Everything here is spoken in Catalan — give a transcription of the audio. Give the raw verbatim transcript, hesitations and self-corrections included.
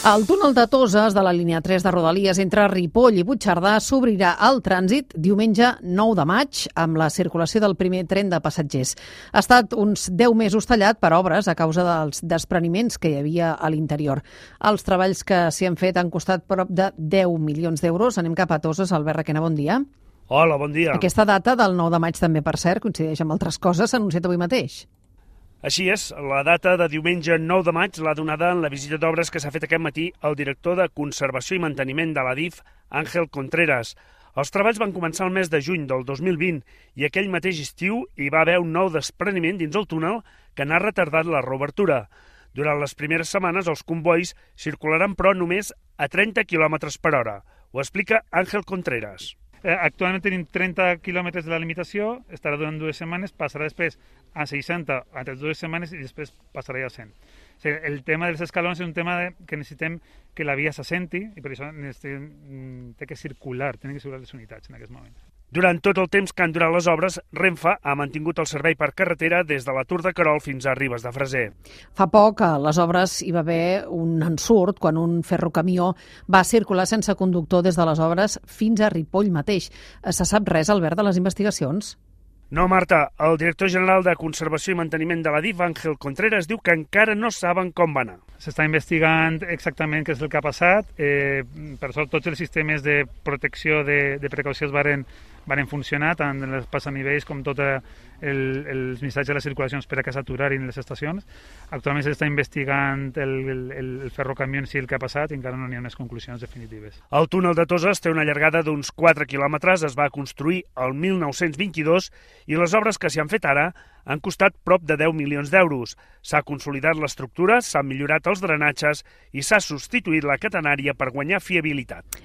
El túnel de Toses de la línia tres de Rodalies entre Ripoll i Puigcerdà s'obrirà al trànsit diumenge nou de maig amb la circulació del primer tren de passatgers. Ha estat uns deu mesos tallat per obres a causa dels despreniments que hi havia a l'interior. Els treballs que s'hi han fet han costat prop de deu milions d'euros. Anem cap a Toses. Albert Requena, bon dia. Hola, bon dia. Aquesta data del nou de maig també, per cert, coincideix amb altres coses, s'ha anunciat avui mateix. Així és, la data de diumenge nou de maig l'ha donada en la visita d'obres que s'ha fet aquest matí el director de Conservació i Manteniment de l'A D I F, Àngel Contreras. Els treballs van començar el mes de juny del dos mil vint i aquell mateix estiu hi va haver un nou despreniment dins el túnel que n'ha retardat la reobertura. Durant les primeres setmanes els convois circularan però només a trenta quilòmetres per hora. Ho explica Àngel Contreras. Actualment tenim trenta quilòmetres de la limitació, estarà durant dues setmanes, passarà després a seixanta entre dues setmanes i després passarà ja a cent. O sigui, el tema dels escalons és un tema de, que necessitem que la via s'assenti i per això té que circular, tenen que circular les unitats en aquest moment. Durant tot el temps que han durat les obres, Renfe ha mantingut el servei per carretera des de la Tour de Querol fins a Ribes de Freser. Fa poc, a les obres, hi va haver un ensurt quan un ferrocamió va circular sense conductor des de les obres fins a Ripoll mateix. Se sap res, Albert, de les investigacions? No, Marta. El director general de Conservació i Manteniment de l'A D I F, Àngel Contreras, diu que encara no saben com va anar. S'està investigant exactament què és el que ha passat. Eh, per sort, tots els sistemes de protecció de, de precaució varen, varen funcionar, tant en els passanivells com tots el, els missatges de les circulacions per a que s'aturin les estacions. Actualment s'està investigant el, el, el ferrocamió en si el que ha passat i encara no n'hi ha unes conclusions definitives. El túnel de Toses té una llargada d'uns quatre quilòmetres, es va construir el mil nou-cents vint-i-dos i les obres que s'hi han fet ara han costat prop de deu milions d'euros. S'ha consolidat l'estructura, s'han millorat els drenatges i s'ha substituït la catenària per guanyar fiabilitat.